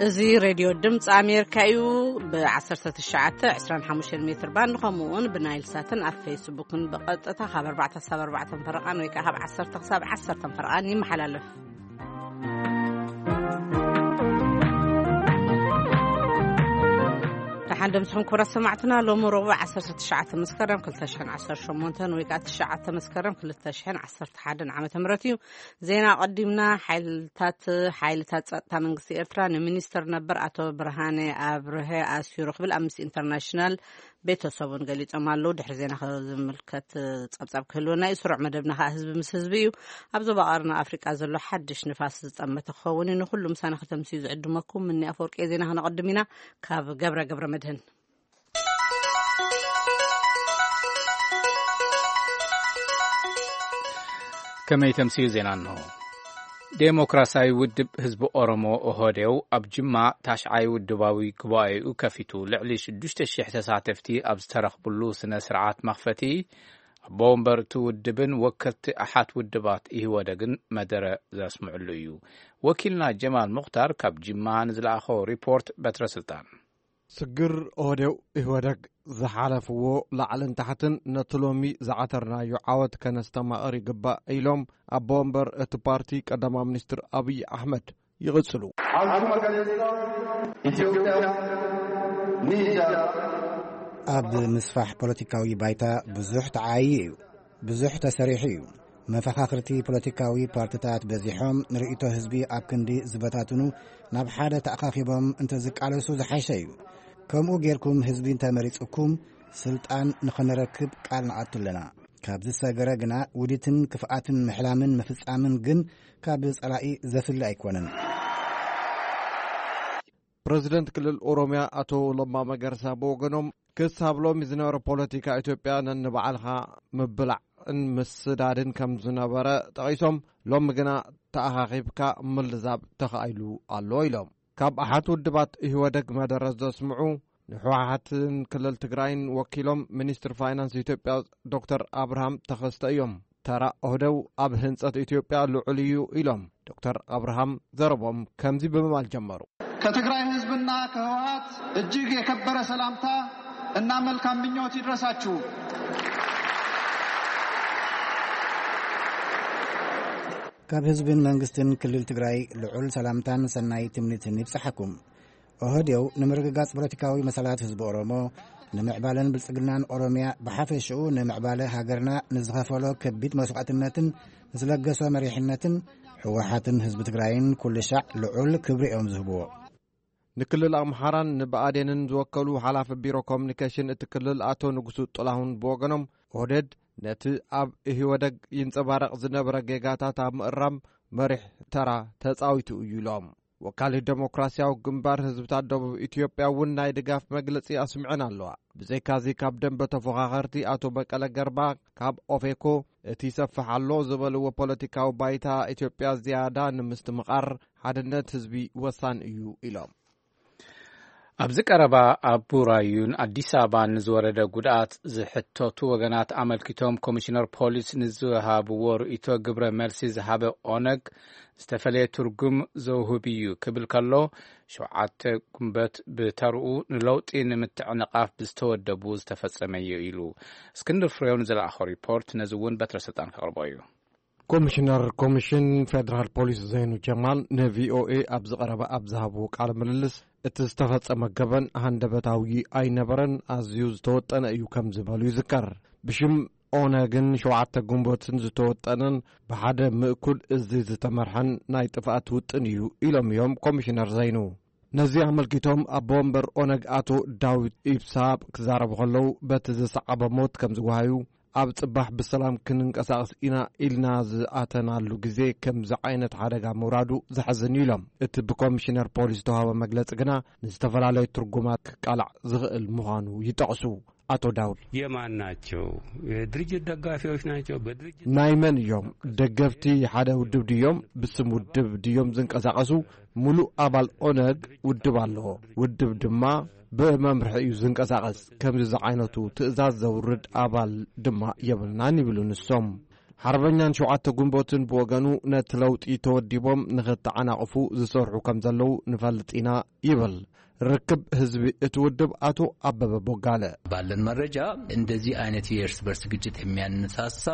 እዚ ሬድዮ ድምፂ ኣሜሪካ እዩ። ብ1925 ሜትር ባንድ ከምኡ እውን ብናይል ሳትን ኣብ ፌስቡክን ብቐጥታ ካብ ኣርባዕተ ክሳብ ኣርባዕተ ፈረቓን ወይ ከዓ ካብ ዓሰርተ ክሳብ ዓሰርተ ፈረቓን ይመሓላለፍ። ደሓን ደምስኹም ክቡራት ሰማዕትና። ሎሚ ረቡዕ ዓሰርተ ትሽዓተ መስከረም ክልተ ሽሕን ዓሰርተ ሸሞንተን ወይ ከዓ ትሽዓተ መስከረም ክልተ ሽሕን ዓሰርተ ሓደን ዓመተ ምህረት እዩ። ዜና ኣቐዲምና። ሓይልታት ሓይልታት ጸጥታ መንግስቲ ኤርትራ ንሚኒስተር ነበር ኣቶ ብርሃነ ኣብርሀ ኣሲሩ ክብል ኣምነስቲ ኢንተርናሽናል ቤተሰቡን ገሊጾም ኣለዉ። ድሕሪ ዜና ከ ዝምልከት ጸብጻብ ክህልወና እዩ። ስሩዕ መደብና ከኣ ህዝቢ ምስ ህዝቢ እዩ። ኣብ ዞባ ቀርኒ ኣፍሪቃ ዘሎ ሓድሽ ንፋስ ዝጠመተ ክኸውን እዩ። ንኹሉ ምሳና ከተምስዩ ዝዕድመኩም ምኒ ኣፈወርቂ። ዜና ከነቐድም ኢና። ካብ ገብረ ገብረ መድህን። ከመይ ተምስዩ ዜና እንሆ። ዴሞክራሲያዊ ውድብ ህዝቢ ኦሮሞ፣ ኦህዴው፣ ኣብ ጅማ ታሽዓይ ውድባዊ ጉባኤኡ ከፊቱ። ልዕሊ ሽዱሽተ ሺሕ ተሳተፍቲ ኣብ ዝተረኽብሉ ስነ ስርዓት መኽፈቲ፣ ኣቦ ወንበር እቲ ውድብን ወከልቲ ኣሓት ውድባት ኢህወደግን መደረ ዘስምዕሉ እዩ። ወኪልና ጀማል ሙኽታር ካብ ጅማ ንዝለኣኾ ሪፖርት በትረ ስልጣን። ስግር ኦህዴው ኢህወደግ ዝሓለፍዎ ላዕልን ታሕትን ነቲ ሎሚ ዝዓተርናዮ ዓወት ከነስተማቕር ይግባእ ኢሎም ኣቦ ወንበር እቲ ፓርቲ ቀዳማይ ሚኒስትር ኣብይ ኣሕመድ ይቕጽሉ። ኢትዮጵያ ኣብ ምስፋሕ ፖለቲካዊ ባይታ ብዙሕ ተዓይዩ እዩ። ብዙሕ ተሰሪሑ እዩ። መፈኻኽርቲ ፖለቲካዊ ፓርትታት በዚሖም ንርእይቶ ህዝቢ ኣብ ክንዲ ዝበታትኑ ናብ ሓደ ተኣኻኺቦም እንተዝቃለሱ ዝሓሸ እዩ። ከምኡ ጌርኩም ህዝቢ እንተመሪጹኩም ስልጣን ንኸነረክብ ቃል ንኣቱ ኣለና። ካብ ዝሰገረ ግና ውዲትን ክፍኣትን ምሕላምን ምፍጻምን ግን ካብ ጸላኢ ዘፍሊ ኣይኮነን። ፕረዚደንት ክልል ኦሮምያ ኣቶ ለማ መገርሳ ብወገኖም ክሳብ ሎሚ ዝነበረ ፖለቲካ ኢትዮጵያ ነንባዕልኻ ምብላዕን ምስዳድን ከም ዝነበረ ጠቒሶም፣ ሎሚ ግና ተኣኻኺብካ ምልዛብ ተኻኢሉ ኣሎ ኢሎም። ካብ ኣሓት ውድባት ኢህወደግ መደረ ዘስምዑ ንህወሓትን ክልል ትግራይን ወኪሎም ሚኒስትር ፋይናንስ ኢትዮጵያ ዶክተር ኣብርሃም ተኸስተ እዮም። ተራ ኦህደው ኣብ ህንጸት ኢትዮጵያ ልዑል እዩ ኢሎም። ዶክተር ኣብርሃም ዘረቦም ከምዚ ብምባል ጀመሩ። ከትግራይ ህዝብና ከህወሓት እጅግ የከበረ ሰላምታ እና መልካም ምኞት ይድረሳችሁ። ካብ ህዝብን መንግስትን ክልል ትግራይ ልዑል ሰላምታን ሰናይ ትምኒትን ይብጽሓኩም። ኦህዴው ንምርግጋጽ ፖለቲካዊ መሰላት ህዝቢ ኦሮሞ፣ ንምዕባለን ብልጽግናን ኦሮምያ ብሓፈሽኡ ንምዕባለ ሃገርና ንዝኸፈሎ ከቢድ መስዋዕትነትን ንዝለገሶ መሪሕነትን ህወሓትን ህዝቢ ትግራይን ኩሉ ሻዕ ልዑል ክብሪ እዮም ዝህብዎ። ንክልል ኣምሓራን ንብኣዴንን ዝወከሉ ሓላፊ ቢሮ ኮሚኒኬሽን እቲ ክልል ኣቶ ንጉሱ ጥላሁን ብወገኖም፣ ኦህዴድ ነቲ ኣብ ኢህወደግ ይንጸባረቕ ዝነበረ ጌጋታት ኣብ ምእራም መሪሕ ተራ ተጻዊቱ እዩ ኢሎም። ወካሊ ዴሞክራሲያዊ ግንባር ህዝብታት ደቡብ ኢትዮጵያ እውን ናይ ድጋፍ መግለጺ ኣስምዐን ኣለዋ። ብዘይካዚ ካብ ደንበ ተፎኻኸርቲ ኣቶ በቀለ ገርባ ካብ ኦፌኮ እቲ ይሰፍሕ ኣሎ ዝበልዎ ፖለቲካዊ ባይታ ኢትዮጵያ ዝያዳ ንምስትምቓር ሓድነት ህዝቢ ወሳኒ እዩ ኢሎም። ኣብዚ ቀረባ ኣብ ቡራዩን ኣዲስ ኣበባን ንዝወረደ ጉድኣት ዝሕተቱ ወገናት ኣመልኪቶም ኮሚሽነር ፖሊስ ንዝሃብዎ ርእይቶ ግብረ መልሲ ዝሃበ ኦነግ ዝተፈለየ ትርጉም ዘውህብ እዩ ክብል ከሎ፣ ሸውዓተ ጉንበት ብተርኡ ንለውጢ ንምትዕንቓፍ ብዝተወደቡ ዝተፈጸመ እዩ ኢሉ። እስክንድር ፍሬው ንዝለኣኾ ሪፖርት ነዚ እውን በትረ ስልጣን ከቕርቦ እዩ። ኮሚሽነር ኮሚሽን ፌደራል ፖሊስ ዘይኑ ጀማል ንቪኦኤ ኣብ ዝቐረበ ኣብ ዝሃብዎ ቃለ ምልልስ፣ እቲ ዝተፈጸመ ገበን ሃንደበታዊ ኣይነበረን፣ ኣዝዩ ዝተወጠነ እዩ ከም ዝበሉ ይዝከር። ብሽም ኦነግን ሸውዓተ ጉንበትን ዝተወጠነን ብሓደ ምእኩል እዚ ዝተመርሐን ናይ ጥፍኣት ውጥን እዩ ኢሎም እዮም ኮሚሽነር ዘይኑ። ነዚ ኣመልኪቶም ኣቦ ወንበር ኦነግ ኣቶ ዳዊት ኢብሳ ክዛረቡ ከለዉ፣ በቲ ዝሰዓበ ሞት ከም ዝወሃዩ፣ ኣብ ጽባሕ ብሰላም ክንንቀሳቐስ ኢና ኢልና ዝኣተናሉ ግዜ ከምዚ ዓይነት ሓደጋ ምውራዱ ዘሕዝን እዩ ኢሎም። እቲ ብኮሚሽነር ፖሊስ ዝተዋህበ መግለጺ ግና ንዝተፈላለዩ ትርጉማት ክቃላዕ ዝኽእል ምዃኑ ይጠቕሱ። ኣቶ ዳውድ የማን ናቸው? የድርጅት ደጋፊዎች ናቸው? በድርጅት ናይ መን እዮም? ደገፍቲ ሓደ ውድብ ድዮም? ብስም ውድብ ድዮም ዝንቀሳቐሱ? ምሉእ ኣባል ኦነግ ውድብ ኣለዎ። ውድብ ድማ ብመምርሒ እዩ ዝንቀሳቐስ። ከምዚ ዝዓይነቱ ትእዛዝ ዘውርድ ኣባል ድማ የብልናን ይብሉ ንሶም። ሓርበኛን ሸውዓተ ግንቦትን ብወገኑ ነቲ ለውጢ ተወዲቦም ንኽተዓናቕፉ ዝሰርሑ ከም ዘለዉ ንፈልጥ ኢና ይብል ርክብ ህዝቢ እቲ ውድብ ኣቶ ኣበበ ቦጋለ። ባለን መረጃ እንደዚህ አይነት የእርስ በርስ ግጭት የሚያነሳሳ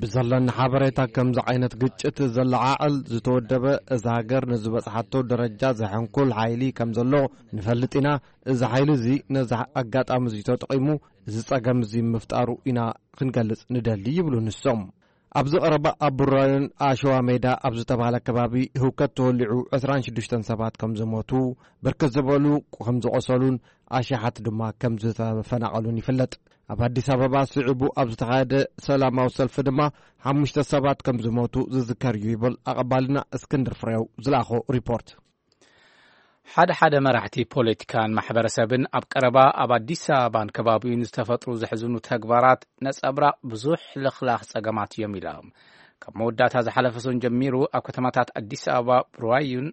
ብዘለኒ ሓበሬታ ከምዚ ዓይነት ግጭት ዘለዓዕል ዝተወደበ እዛ ሃገር ንዝበጽሓቶ ደረጃ ዘሐንኩል ሓይሊ ከም ዘሎ ንፈልጥ ኢና። እዚ ሓይሊ እዚ ነዚ ኣጋጣሚ እዚ ተጠቒሙ እዚ ጸገም እዚ ምፍጣሩ ኢና ክንገልጽ ንደሊ ይብሉ ንሶም። ኣብዚ ቀረባ ኣብ ቡራዮን ኣሸዋ ሜዳ ኣብ ዝተባህለ ከባቢ ህውከት ተወሊዑ ዕስራን ሽዱሽተን ሰባት ከም ዝሞቱ፣ ብርክት ዝበሉ ከም ዝቖሰሉን ኣሽሓት ድማ ከም ዝተፈናቐሉን ይፍለጥ። ኣብ ኣዲስ ኣበባ ስዒቡ ኣብ ዝተኻየደ ሰላማዊ ሰልፊ ድማ ሓሙሽተ ሰባት ከም ዝሞቱ ዝዝከር እዩ ይብል ኣቐባልና እስክንድር ፍሬው ዝለኣኾ ሪፖርት። ሓደ ሓደ መራሕቲ ፖለቲካን ማሕበረሰብን ኣብ ቀረባ ኣብ ኣዲስ ኣበባን ከባቢኡን ዝተፈጥሩ ዘሕዝኑ ተግባራት ነጸብራቕ ብዙሕ ልኽላኽ ጸገማት እዮም ኢሎም። ካብ መወዳእታ ዝሓለፈ ሰሙን ጀሚሩ ኣብ ከተማታት ኣዲስ ኣበባ፣ ብራዩን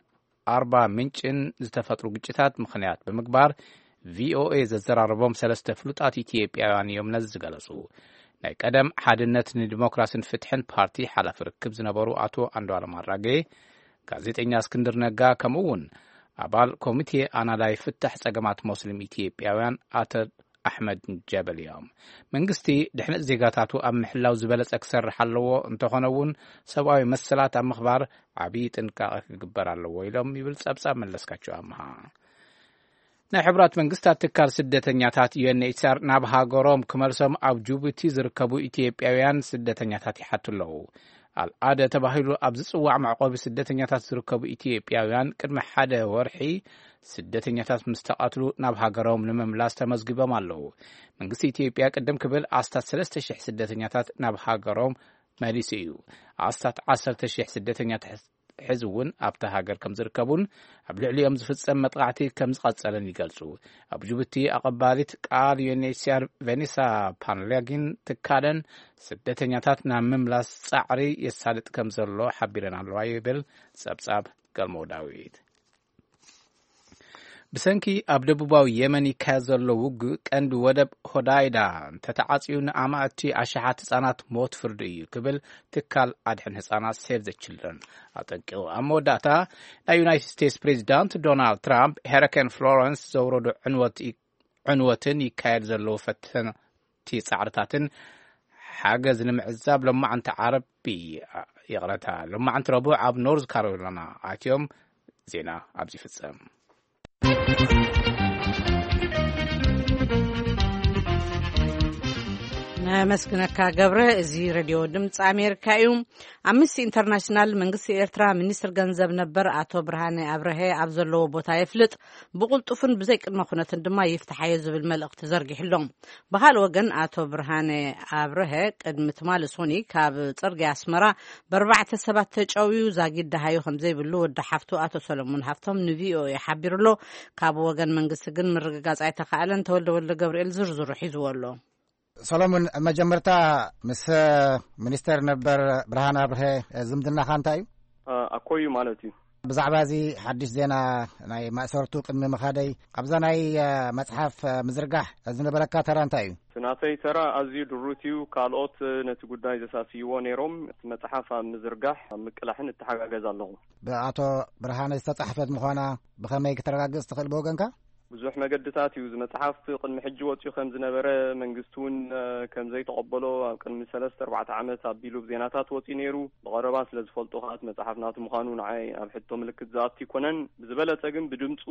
ኣርባ ምንጭን ዝተፈጥሩ ግጭታት ምኽንያት ብምግባር ቪኦኤ ዘዘራረቦም ሰለስተ ፍሉጣት ኢትዮጵያውያን እዮም ነዚ ዝገለጹ። ናይ ቀደም ሓድነት ንዲሞክራስን ፍትሕን ፓርቲ ሓላፊ ርክብ ዝነበሩ ኣቶ ኣንዱዓለም ኣራጌ፣ ጋዜጠኛ እስክንድር ነጋ፣ ከምኡ እውን ኣባል ኮሚቴ ኣናላይ ፍታሕ ጸገማት ሞስሊም ኢትዮጵያውያን ኣቶ ኣሕመድ ጀበል እዮም። መንግስቲ ድሕነት ዜጋታቱ ኣብ ምሕላው ዝበለጸ ክሰርሕ ኣለዎ፣ እንተኾነ እውን ሰብኣዊ መሰላት ኣብ ምኽባር ዓብዪ ጥንቃቐ ክግበር ኣለዎ ኢሎም ይብል ጸብጻብ መለስካቸው ኣምሃ። ናይ ሕቡራት መንግስታት ትካል ስደተኛታት ዩ ኤን ኤች ሲ ኣር ናብ ሃገሮም ክመልሶም ኣብ ጅቡቲ ዝርከቡ ኢትዮጵያውያን ስደተኛታት ይሓቱ ኣለዉ። ኣልኣደ ተባሂሉ ኣብ ዝጽዋዕ መዕቆቢ ስደተኛታት ዝርከቡ ኢትዮጵያውያን ቅድሚ ሓደ ወርሒ ስደተኛታት ምስ ተቐትሉ ናብ ሃገሮም ንምምላስ ተመዝጊቦም ኣለዉ። መንግስቲ ኢትዮጵያ ቅድም ክብል ኣስታት ሰለስተ ሽሕ ስደተኛታት ናብ ሃገሮም መሊሱ እዩ። ኣስታት ዓሰርተ ሽሕ ስደተኛታት ሕዚ እውን ኣብታ ሃገር ከም ዝርከቡን ኣብ ልዕሊኦም ዝፍጸም መጥቃዕቲ ከም ዝቐጸለን ይገልጹ። ኣብ ጅቡቲ ኣቐባሊት ቃል ዩ ኤን ኤች ሲ ኣር ቬኔሳ ፓንሌጊን ትካለን ስደተኛታት ናብ ምምላስ ጻዕሪ የሳልጥ ከም ዘሎ ሓቢረን ኣለዋ ይብል ጸብጻብ ገልሞ ዳዊት። ብሰንኪ ኣብ ደቡባዊ የመን ይካየድ ዘሎ ውግእ ቀንዲ ወደብ ሆዳይዳ እንተተዓጽዩ ንኣማእቲ ኣሽሓት ህጻናት ሞት ፍርዲ እዩ ክብል ትካል ኣድሕን ህጻናት ሴቭ ዘ ችልድረን ኣጠንቂቑ። ኣብ መወዳእታ ናይ ዩናይትድ ስቴትስ ፕሬዚዳንት ዶናልድ ትራምፕ ሄሪኬን ፍሎረንስ ዘውረዶ ዕንወት ይ- ዕንወትን ይካየድ ዘለዉ ፈተንቲ ጻዕርታትን ሓገዝ ንምዕዛብ ሎማዓንቲ ዓርቢ፣ ይቕረታ፣ ሎማዓንቲ ረቡዕ ኣብ ኖርዝ ካሮላይና ኣትዮም ዜና ኣብዚ ይፍጸም። ነመስግነካ ገብረ። እዚ ሬድዮ ድምፂ ኣሜሪካ እዩ። ኣምነስቲ ኢንተርናሽናል መንግስቲ ኤርትራ ሚኒስትር ገንዘብ ነበር ኣቶ ብርሃነ ኣብርሀ ኣብ ዘለዎ ቦታ የፍልጥ፣ ብቕልጡፍን ብዘይ ቅድመ ኩነትን ድማ ይፍትሓዮ ዝብል መልእኽቲ ዘርጊሑ ኣሎ። ብኻልእ ወገን ኣቶ ብርሃነ ኣብርሀ ቅድሚ ትማሊ ሶኒ ካብ ፅርግያ ኣስመራ ብኣርባዕተ ሰባት ተጨውዩ ዛጊድ ደሃዩ ከም ዘይብሉ ወዲ ሓፍቱ ኣቶ ሰለሙን ሃፍቶም ንቪኦኤ ሓቢሩ ኣሎ። ካብ ወገን መንግስቲ ግን ምርግጋፅ ኣይተኻእለን። ተወልደ ወልደ ገብርኤል ዝርዝሩ ሒዝዎ ኣሎ። ሰሎሙን፣ መጀመርታ ምስ ሚኒስተር ነበር ብርሃን ኣብርሀ ዝምድናኻ እንታይ እዩ? ኣኮዩ ማለት እዩ። ብዛዕባ እዚ ሓድሽ ዜና ናይ ማእሰርቱ ቅድሚ ምኻደይ፣ ኣብዛ ናይ መጽሓፍ ምዝርጋሕ ዝነበረካ ተራ እንታይ እዩ? እቲ ናተይ ተራ ኣዝዩ ድሩት እዩ። ካልኦት ነቲ ጉዳይ ዘሳስይዎ ነይሮም። እቲ መጽሓፍ ኣብ ምዝርጋሕ ኣብ ምቅላሕን እተሓጋገዝ ኣለኹ። ብኣቶ ብርሃነ ዝተጻሕፈት ምዃና ብኸመይ ክተረጋግጽ ትኽእል ብወገንካ? ብዙሕ መገድታት እዩ። እዚ መጽሓፍ ቅድሚ ሕጂ ወጺኡ ከም ዝነበረ፣ መንግስቲ እውን ከም ዘይተቐበሎ ኣብ ቅድሚ ሰለስተ ኣርባዕተ ዓመት ኣቢሉ ብዜናታት ወጺኡ ነይሩ። ብቐረባ ስለ ዝፈልጦ ከኣ እቲ መጽሓፍ ናቱ ምዃኑ ንዓይ ኣብ ሕቶ ምልክት ዝኣቱ ኣይኮነን። ብዝበለጸ ግን ብድምጹ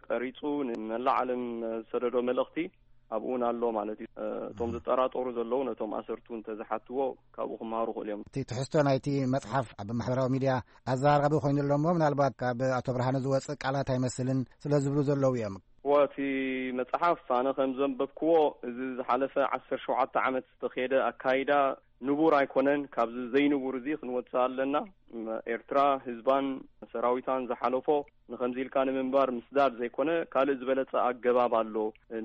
ቀሪጹ ንመላእ ዓለም ዝሰደዶ መልእኽቲ ኣብኡ እውን ኣሎ ማለት እዩ። እቶም ዝጠራጠሩ ዘለዉ ነቶም ኣሰርቱ እንተዝሓትዎ ካብኡ ክመሃሩ ይኽእሉ እዮም። እቲ ትሕዝቶ ናይቲ መጽሓፍ ኣብ ማሕበራዊ ሚድያ ኣዘራራቢ ኮይኑ ኣሎ እሞ ምናልባት ካብ ኣቶ ብርሃነ ዝወጽእ ቃላት ኣይመስልን ስለ ዝብሉ ዘለዉ እዮም። እወ፣ እቲ መጽሓፍ ኣነ ከም ዘንበብክዎ፣ እዚ ዝሓለፈ ዓሰርተ ሸውዓተ ዓመት ዝተኻየደ ኣካይዳ ንቡር ኣይኮነን። ካብዚ ዘይንቡር እዚ ክንወጽእ ኣለና። ኤርትራ ህዝባን ሰራዊታን ዝሓለፎ ንኸምዚ ኢልካ ንምንባር ምስዳድ ዘይኮነ ካልእ ዝበለጸ ኣገባብ ኣሎ።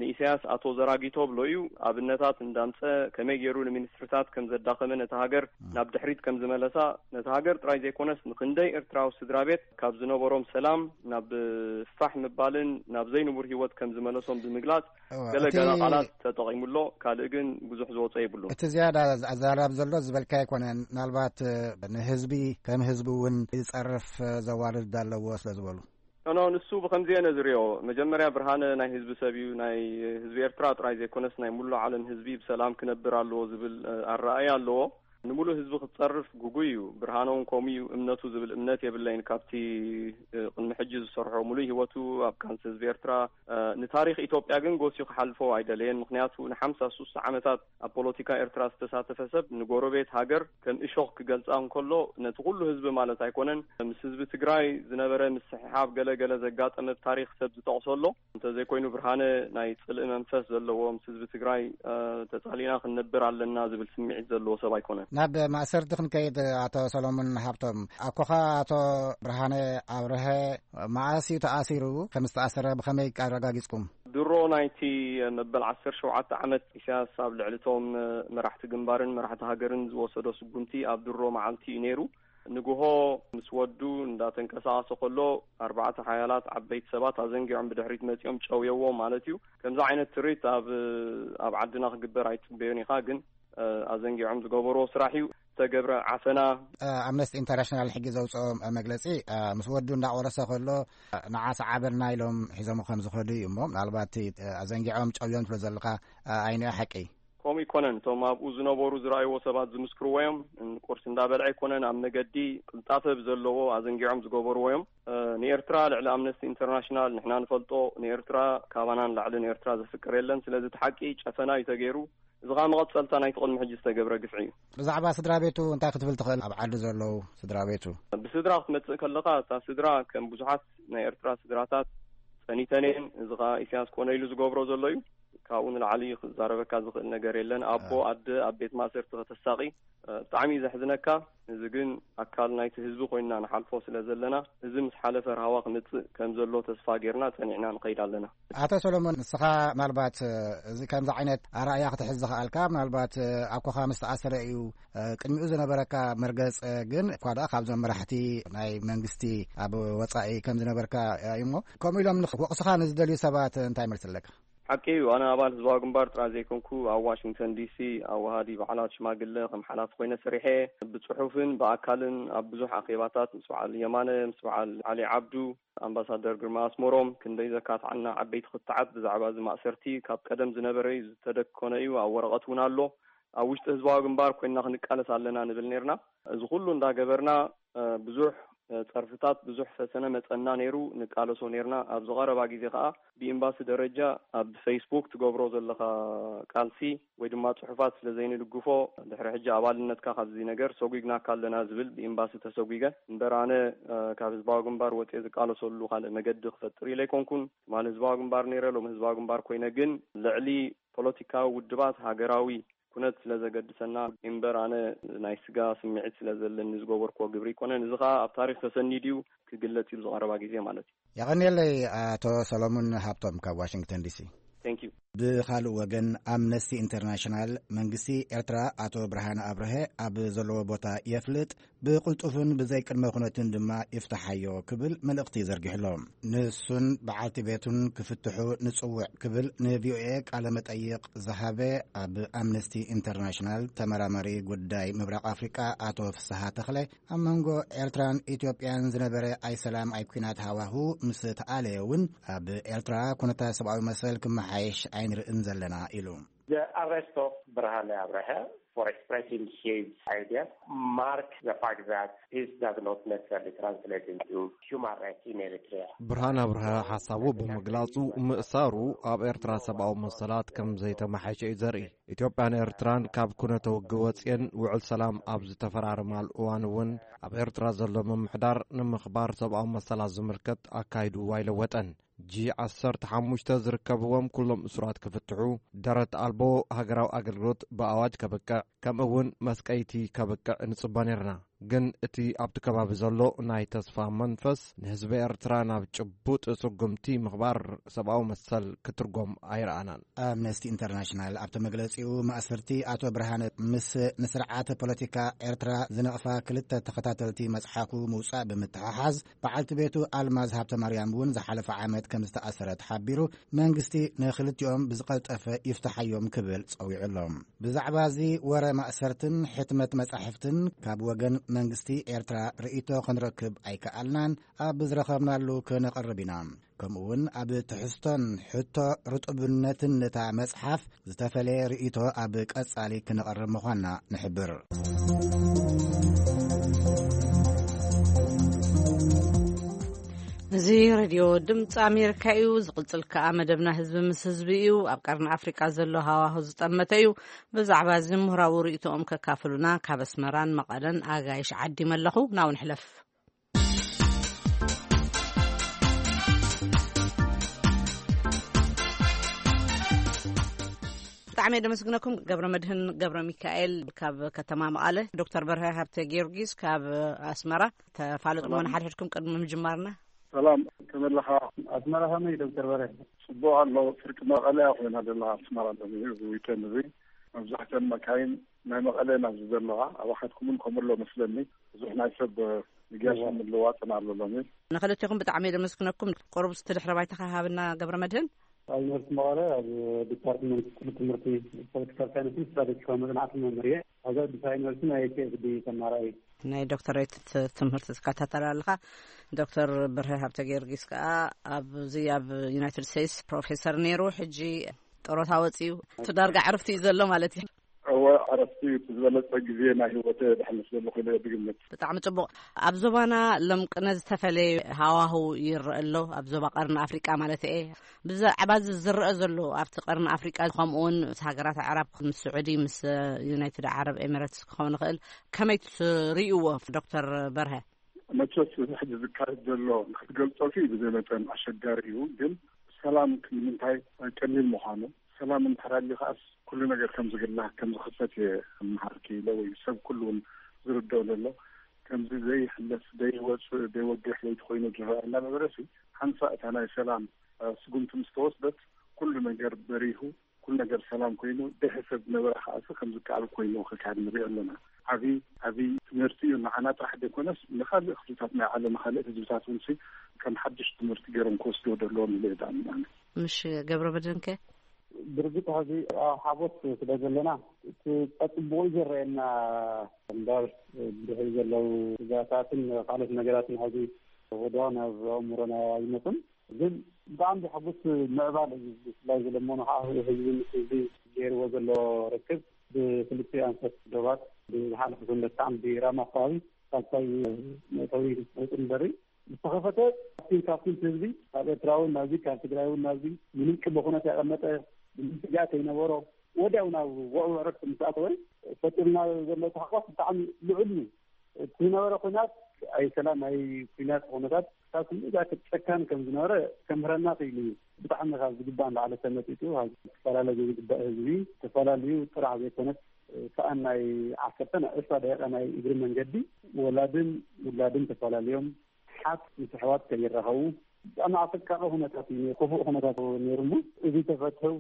ንኢሳያስ ኣቶ ዘራጊቶ ብሎ እዩ ኣብነታት እንዳምጸ ከመይ ገይሩ ንሚኒስትርታት ከም ዘዳኸመ፣ ነታ ሃገር ናብ ድሕሪት ከም ዝመለሳ፣ ነታ ሃገር ጥራይ ዘይኮነስ ንኽንደይ ኤርትራዊ ስድራ ቤት ካብ ዝነበሮም ሰላም ናብ ፋሕ ምባልን ናብ ዘይንቡር ህይወት ከም ዝመለሶም ብምግላጽ እወ፣ ገለ እቲ ገለ ቃላት ተጠቒሙ ኣሎ። ካልእ ግን ብዙሕ ዝወጾ የብሉን። እቲ ዝያዳ ኣዘራራቢ ዘሎ ዝበልካ ኣይኮነን። ምናልባት፣ እ፣ ንህዝቢ ከም ህዝቢ እውን ዝጸርፍ፣ እ፣ ዘዋርድ ኣለዎ ስለ ዝበሉ። ኖ፣ ኖ፣ ንሱ ብኸምዚ እየ ነዝርዮ። መጀመርያ ብርሃነ ናይ ህዝቢ ሰብ እዩ። ናይ ህዝቢ ኤርትራ ጥራይ ዘይኮነስ ናይ ሙሉእ ዓለም ህዝቢ ብሰላም ክነብር ኣለዎ ዝብል፣ እ፣ ኣረኣእያ ኣለዎ። ንሙሉእ ህዝቢ ክትጸርፍ ግጉይ እዩ። ብርሃነ እውን ከምኡ እዩ እምነቱ ዝብል እምነት የብለይን። ካብቲ፣ እ፣ ቅድሚ ሕጂ ዝሰርሖ ሙሉእ ህይወቱ ኣብ ቃልሲ ህዝቢ ኤርትራ፣ እ፣ ንታሪኽ ኢትዮጵያ ግን ጎስዩ ክሓልፎ ኣይደለየን። ምኽንያቱ ንሓምሳ ሱሳ ዓመታት ኣብ ፖለቲካ ኤርትራ ዝተሳተፈ ሰብ ንጎረቤት ሃገር ከም እሾኽ ክገልጻ እንከሎ ነቲ ኩሉ ህዝቢ ማለት ኣይኮነን። ምስ ህዝቢ ትግራይ ዝነበረ ምስሕሓብ ገለ ገለ ዘጋጠመ ብታሪኽ ሰብ ዝጠቕሶ ኣሎ። እንተዘይኮይኑ ብርሃነ ናይ ጽልኢ መንፈስ ዘለዎ ምስ ህዝቢ ትግራይ፣ እ፣ ተጻሊእና ክንነብር ኣለና ዝብል ስምዒት ዘለዎ ሰብ ኣይኮነን። ናብ ማእሰርቲ ክንከይድ፣ ኣቶ ሰሎሞን ሃብቶም፣ ኣኮኻ ኣቶ ብርሃነ ኣብርሀ መዓስ እዩ ተኣሲሩ? ከም ዝተኣሰረ ብኸመይ ኣረጋጊጽኩም? ድሮ ናይቲ መበል ዓሰርተ ሸውዓተ ዓመት ኢሳያስ ኣብ ልዕሊ እቶም መራሕቲ ግንባርን መራሕቲ ሃገርን ዝወሰዶ ስጉምቲ ኣብ ድሮ መዓልቲ እዩ ነይሩ። ንግሆ ምስ ወዱ እንዳተንቀሳቐሰ ከሎ ኣርባዕተ ሓያላት ዓበይቲ ሰባት ኣዘንጊዖም ብድሕሪት መጺኦም ጨውየዎ ማለት እዩ። ከምዚ ዓይነት ትርኢት ኣብ፣ ኣብ ዓድና ክግበር ኣይትጽበዮን ኢኻ፣ ግን፣ እ፣ ኣዘንጊዖም ዝገበርዎ ስራሕ እዩ። ዝተገብረ ዓፈና። እ፣ ኣምነስቲ ኢንተርናሽናል ሕጂ ዘውፅኦ መግለፂ፣ እ፣ ምስ ወዱ እንዳቆረሰ ከሎ፣ እ፣ ንዓ ሰዓበልና ኢሎም ሒዞም ከም ዝኸዱ እዩ እሞ፣ ምናልባት እቲ፣ እ፣ ኣዘንጊዖም ጨውዮም ትብሎ ዘለኻ፣ እ፣ ኣይንዮ ሓቂ? ከምኡ ኣይኮነን። እቶም ኣብኡ ዝነበሩ ዝረኣይዎ ሰባት ዝምስክርዎ እዮም። ቁርሲ እንዳበልዐ ኣይኮነን፣ ኣብ መገዲ ቅልጣፈ ብዘለዎ ኣዘንጊዖም ዝገበርዎ እዮም። እ፣ ንኤርትራ ልዕሊ ኣምነስቲ ኢንተርናሽናል ንሕና ንፈልጦ፣ ንኤርትራ ካባና ንላዕሊ ንኤርትራ ዘፍቅር የለን። ስለዚ እቲ ሓቂ ጨፈና እዩ ተገይሩ። እዚ ኸኣ መቐጸልታ ናይቲ ቅድሚ ሕጂ ዝተገብረ ግፍዒ እዩ። ብዛዕባ ስድራ ቤቱ እንታይ ክትብል ትኽእል? ኣብ ዓዲ ዘለዉ ስድራ ቤቱ? ብስድራ ክትመጽእ ከለኻ፣ እታ ስድራ ከም ብዙሓት ናይ ኤርትራ ስድራታት ጸኒተን እየን። እዚ ኸኣ ኢሳያስ ኮነ ኢሉ ዝገብሮ ዘሎ እዩ። ካብኡ ንላዕሊ ክዛረበካ ዝኽእል ነገር የለን። ኣቦ፣ ኣደ ኣብ ቤት ማእሰርቲ ከተሳቒ፣ እ፣ ብጣዕሚ እዩ ዘሕዝነካ። እዚ ግን ኣካል ናይቲ ህዝቢ ኮይንና ንሓልፎ ስለ ዘለና፣ እዚ ምስ ሓለፈ ራህዋ ክመጽእ ከም ዘሎ ተስፋ ጌርና ጸኒዕና ንኸይድ ኣለና። ኣቶ ሰሎሞን፣ ንስኻ ምናልባት፣ እ፣ እዚ ከምዚ ዓይነት ኣረኣእያ ክትሕዝ ዝኸኣልካ፣ ምናልባት፣ እ፣ ኣኮኻ ምስ ተኣሰረ እዩ፣ እ፣ ቅድሚኡ ዝነበረካ መርገጽ፣ እ፣ ግን እኳ ደኣ ካብዞም መራሕቲ ናይ መንግስቲ ኣብ ወጻኢ ከም ዝነበርካ፣ እ፣ እዩ እሞ፣ ከምኡ ኢሎም ንኽ-፣ ክወቕሱኻ ንዝደልዩ ሰባት እንታይ መልሲ ኣለካ? ሓቂ እዩ። ኣነ ኣባል ህዝባዊ ግንባር ጥራይ ዘይኮንኩ፣ ኣብ ዋሽንግተን ዲሲ ኣዋሃዲ በዓላት ሽማግለ ከም ሓላፊ ኮይነ ሰሪሐ። ብጽሑፍን ብኣካልን ኣብ ብዙሕ ኣኼባታት ምስ በዓል የማነ፣ ምስ በዓል ዓሊ ዓብዱ፣ ኣምባሳደር ግርማ ኣስመሮም ክንደይ ዘካትዓና ዓበይቲ ክትዓት ብዛዕባ እዚ ማእሰርቲ ካብ ቀደም ዝነበረ እዩ፣ ዝተደኮነ እዩ፣ ኣብ ወረቐት እውን ኣሎ። ኣብ ውሽጢ ህዝባዊ ግንባር ኮይንና ክንቃለስ ኣለና ንብል ነርና። እዚ ኩሉ እንዳገበርና፣ እ፣ ብዙሕ፣ እ፣ ጸርፍታት፣ ብዙሕ ፈተነ መጸና ነይሩ፣ ንቃለሶ ነርና። ኣብዚ ቀረባ ግዜ ከኣ ብኤምባሲ ደረጃ ኣብ ፌስቡክ ትገብሮ ዘለኻ ቃልሲ ወይ ድማ ጽሑፋት ስለ ዘይንድግፎ፣ ድሕሪ ሕጂ ኣባልነትካ ካብዚ ነገር ሰጒግናካ ኣለና ዝብል ብኤምባሲ ተሰጒገ። እምበር ኣነ፣ እ፣ ካብ ህዝባዊ ግንባር ወጽየ ዝቃለሰሉ ካልእ መገዲ ክፈጥር ኢለ ኣይኮንኩን። ትማሊ ህዝባዊ ግንባር ነይረ፣ ሎሚ ህዝባዊ ግንባር ኮይነ፣ ግን ልዕሊ ፖለቲካዊ ውድባት ሃገራዊ ኩነት ስለ ዘገድሰና እምበር፣ ኣነ ናይ ስጋ ስምዒት ስለ ዘለኒ ዝገበርክዎ ግብሪ ኣይኮነን። እዚ ኸኣ ኣብ ታሪኽ ተሰኒዱ እዩ ክግለጽ እዩ፣ ኣብዚ ቀረባ ግዜ ማለት እዩ። የቐንየለይ ኣቶ ሰሎሙን ሃብቶም ካብ ዋሽንግተን ዲሲ። Thank you። ብኻልእ ወገን፣ ኣምነስቲ ኢንተርናሽናል መንግስቲ ኤርትራ ኣቶ ብርሃነ ኣብርሀ ኣብ ዘለዎ ቦታ የፍልጥ፣ ብቕልጡፍን ብዘይ ቅድመ ኩነትን ድማ ይፍትሓዮ ክብል መልእኽቲ ዘርጊሕሎ። ንሱን በዓልቲ ቤቱን ክፍትሑ ንጽውዕ ክብል ንቪኦኤ ቃለ መጠይቕ ዝሃበ ኣብ ኣምነስቲ ኢንተርናሽናል ተመራማሪ ጉዳይ ምብራቕ ኣፍሪቃ ኣቶ ፍስሃ ተኽለ፣ ኣብ መንጎ ኤርትራን ኢትዮጵያን ዝነበረ ኣይሰላም ኣይኲናት ሃዋሁ ምስ ተኣለየ እውን ኣብ ኤርትራ ኩነታት ሰብኣዊ መሰል ክመሓየሽ ኣይንርእን ዘለና ኢሉ። The arrest of ብርሃነ ኣብርሀ for expressing his idea mark the fact that peace does not necessarily translate into human rights in Eritrea. ብርሃነ ኣብርሀ ሓሳቡ ብምግላጹ፣ ምእሳሩ ኣብ ኤርትራ ሰብኣዊ መሰላት ከም ዘይተመሓየሸ እዩ ዘርኢ። ኢትዮጵያን ኤርትራን ካብ ኩነተ ውግእ ወጽየን ውዕል ሰላም ኣብ ዝተፈራረማሉ እዋን እውን፣ ኣብ ኤርትራ ዘሎ ምምሕዳር ንምኽባር ሰብኣዊ መሰላት ዝምልከት ኣካይድኡ ኣይለወጠን። ጂ ዓሰርተ ሓሙሽተ ዝርከብዎም ኩሎም እሱራት ክፍትሑ፣ ደረት ኣልቦ ሃገራዊ ኣገልግሎት ብኣዋጅ ከብቅዕ፣ ከምኡ እውን መስቀይቲ ከብቅዕ ንጽበ ነርና። ግን እቲ ኣብቲ ከባቢ ዘሎ ናይ ተስፋ መንፈስ ንህዝቢ ኤርትራ ናብ ጭቡጥ ስጉምቲ ምኽባር ሰብኣዊ መሰል ክትርጎም ኣይረኣናን። ኣምነስቲ ኢንተርናሽናል ኣብቲ መግለጺኡ፣ ማእሰርቲ ኣቶ ብርሃነ ምስ ንስርዓተ ፖለቲካ ኤርትራ ዝነቕፋ ክልተ ተኸታተልቲ መጽሓፉ ምውጻእ ብምትሕሓዝ፣ በዓልቲ ቤቱ ኣልማዝ ሃብተ ማርያም እውን ዝሓለፈ ዓመት ከም ዝተኣሰረ ተሓቢሩ፣ መንግስቲ ንኽልቲኦም ብዝቐልጠፈ ይፍትሓዮም ክብል ጸዊዑ ኣሎ። ብዛዕባ እዚ ወረ ማእሰርትን ሕትመት መጻሕፍትን ካብ ወገን መንግስቲ ኤርትራ ርእይቶ ክንረክብ ኣይከኣልናን፣ ኣብ ዝረኸብናሉ ክነቕርብ ኢና። ከምኡ እውን ኣብ ትሕዝቶን ሕቶ ርጡብነትን ነታ መጽሓፍ ዝተፈለየ ርእይቶ ኣብ ቀጻሊ ክነቕርብ ምዃንና ንሕብር። እዚ ሬድዮ ድምፂ ኣሜሪካ እዩ። ዝቕፅል ከኣ መደብና ህዝቢ ምስ ህዝቢ እዩ። ኣብ ቀርኒ ኣፍሪቃ ዘሎ ሃዋሁ ዝጠመተ እዩ። ብዛዕባ እዚ ምሁራዊ ርእይቶኦም ከካፍሉና ካብ ኣስመራን መቐለን ኣጋይሽ ዓዲመ ኣለኹ። ናው ንሕለፍ። ብጣዕሚ እየ ደመስግነኩም። ገብረ መድህን ገብረ ሚካኤል ካብ ከተማ መቐለ፣ ዶክተር በርሀ ሃብተ ጊዮርጊስ ካብ ኣስመራ። ተፋለጡ ሰላም። መሆን ሓድሕድኩም ቅድሚ ምጅማርና። ሰላም፣ ከመለኻ? ኣስመራ ከመይ ዶክተር በርሀ? ጽቡቕ ኣሎ። ፍርቂ መቐለ እያ ኮይና ዘላ ኣስመራ ሎሚ እዚ ዊኬንድ እዚ። መብዛሕተን መካይን ናይ መቐለ ናብዚ ዘለዋ፣ ኣባኻትኩምን ከምኡ ኣሎ መስለኒ። ብዙሕ ናይ ሰብ ምግያስን እዋ። ምልዋጥን ኣሎ ሎሚ። ንኽልቴኹም ብጣዕሚ እየ ደመስግነኩም። ቁሩብ እስቲ ድሕረ ባይታኻ ሃብና ገብረ መድህን። ኣብ ዩኒቨርሲቲ መቐለ ኣብ ዲፓርትመንት ክፍሊ ትምህርቲ ፖለቲካል ሳይንስን ስትራቴጂካዊ መጽናዕትን መምህር እየ። ኣብዚ ኣዲስ ኣበባ ዩኒቨርሲቲ ናይ ፒ ኤች ዲ ተማሃራይ እየ። ናይ ዶክተሬት ት-፣ ትምህርቲ ትከታተል ኣለኻ። ዶክተር ብርሀ ሃብተ ጊዮርጊስ ከኣ ኣብዚ ኣብ ዩናይትድ ስቴትስ ፕሮፌሰር ነይሩ፣ ሕጂ ጡረታ ወጺኡ፣ እቲ ዳርጋ ዕረፍቲ እዩ ዘሎ ማለት እዩ። እወ፣ ዕረፍቲ እዩ። እቲ ዝበለጸ ግዜ ናይ ህይወት ደሕልፍ ዘለኹ ኢለ እየ ዝግምት። ብጣዕሚ ጽቡቕ። ኣብ ዞባና ሎምቅነ ዝተፈለየ ሃዋህው ይረአ ኣሎ፣ ኣብ ዞባ ቀርኒ ኣፍሪቃ ማለት እየ። ብዛዕባ እዚ ዝረአ ዘሎ ኣብቲ ቀርኒ ኣፍሪቃ፣ ከምኡውን ምስ ሃገራት ኣዕራብ፣ ምስ ስዑዲ፣ ምስ ዩናይትድ ዓረብ ኤሚሬትስ ክኸውን ይኽእል፣ ከመይ ትርእይዎ ዶክተር በርሀ? መቸስ እዚ ሕጂ ዝካየድ ዘሎ ንክትገልጾ ሲ ብዘይ መጠን ኣሸጋሪ እዩ፣ ግን ሰላም ንምንታይ ቀሊል ምዃኑ፣ ሰላም እንድሕር ኣልዩ ከኣስ ኩሉ ነገር ከም ዝግላህ ከም ዝኽፈት እየ እምሃርኪ ኢለ ወይ ሰብ ኩሉ እውን ዝርድኦ ዘሎ። ከምዚ ዘይሕለፍ፣ ዘይወጽእ፣ ዘይወግሕ ለይቲ ኮይኑ ዝረአ እናነበረ ሲ ሓንሳእ እታ ናይ ሰላም፣ እ፣ ስጉምቲ ምስ ተወስደት ኩሉ ነገር በሪሁ፣ ኩሉ ነገር ሰላም ኮይኑ፣ ደሐ ሰብ ዝነበረ ከኣሲ ከም ዝከኣል ኮይኑ ክካየድ ንሪኦ ኣለና። ዓቢ፣ ዓቢ ትምህርቲ እዩ። ንዓና ጥራሕ ዘይኮነስ ንኻልእ ክፍልታት ናይ ዓለም፣ ካልእ ህዝብታት እውን ሲ ከም ሓድሽ ትምህርቲ ገይሮም ክወስድዎ ዘለዎም ኢለ እየ ዝኣምን ኣነ። ምሽ ገብረ መድህንከ? ብርግጽ ሕዚ ኣብ ሓጎስ ስለ ዘለና እቲ ጸጽቡቑ እዩ ዝረኣየና እምበር ብድሕሪ ዘለዉ ስጋታትን ካልኦት ነገራትን ሕዚ ወዲያው ናብ ኣእምሮና ኣይመጹን። ግን ብጣዕሚ ዘሐጉስ ምዕባለ እዩ። ብፍላይ ዘለመኑ ከዓ ህዝቢ ምስ ህዝቢ ገይርዎ ዘሎ ርክብ ብክልቲኡ ኣንፈት ዶባት ብዝሓለፈ ሰንበት ከዓ ብራማ ኣካባቢ ሳልሳይ መእተዊ ዕፅን በሪ ዝተኸፈተ ካብቲ፣ ካብቲ ህዝቢ ካብ ኤርትራ እውን ናብዚ ካብ ትግራይ እውን ናብዚ ምንም ቅድመ ኩነት ያቀመጠ ምንም ስግኣት ከይነበሮ ወዲያው ናብ ውዕውዕ ዕረፍቲ ምስ ኣተወ ፈጢሩና ዘሎ ታሕጓስ ብጣዕሚ ልዑል እዩ። እቲ ዝነበረ ኩናት ኣይ ሰላም ኣይ ኩናት ኩነታት ካብ ክንድዛ ጨካን ከም ዝነበረ ከምህረና ክኢሉ እዩ። ብጣዕሚ ካብ ዝግባእ ንላዕሊ ተመጢጡ ካብ ክፈላለ ዘይግባእ ህዝቢ ተፈላለዩ ጥራሕ ዘይኮነስ ሰኣን ናይ ዓሰርተ ናይ ዕስራ ደቂቃ ናይ እግሪ መንገዲ ወላድን ውላድን ተፈላለዮም ሓት ምስ ኣሕዋት ከይራኸቡ ብጣዕሚ ኣሰቃቂ ኩነታት እዩ ነይሩ፣ ክፉእ ኩነታት ነይሩ እሞ እዚ ተፈትሑ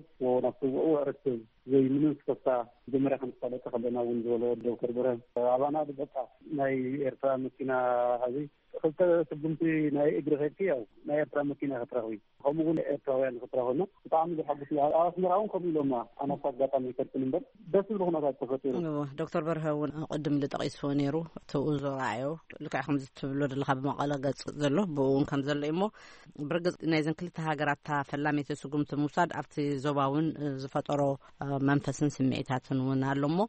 ናብቲ ውዕውዕ ርክብ ዘይምንም ስክፍታ መጀመርያ ከም ዝፋለጠ ከለና እውን ዝበሎ ዶክተር ብርሃን ኣባና በቃ ናይ ኤርትራ መኪና ሀዚ ክልተ ስጉምቲ ናይ እግሪ ከድኪ ያው ናይ ኤርትራ መኪና ክትረኽቢ ከምኡ እውን ኤርትራውያን ክትረኽብና ብጣዕሚ ዘሓጉስ እዩ። ኣብ ኣስመራ እውን ከምኡ ኢሎማ ኣነ ኣብቲ ኣጋጣሚ ይፈልጥን እምበር ደስ ዝብል ኩነታት ተፈጢሩ። እዎ፣ ዶክተር በርሀ እውን ቅድም ኢሉ ጠቒስዎ ነይሩ። እቲ ኡዞ ረኣዮ ልክዕ ከምዚ ትብሎ ዘለኻ ብመቐለ ገጽ ዘሎ ብኡ እውን ከም ዘሎ እዩ እሞ ብርግጽ ናይዘን ክልተ ሃገራት እታ ፈላመይቲ ስጉምቲ ምውሳድ ኣብቲ ዞባ እውን ዝፈጠሮ መንፈስን ስምዒታትን እውን ኣሎ እሞ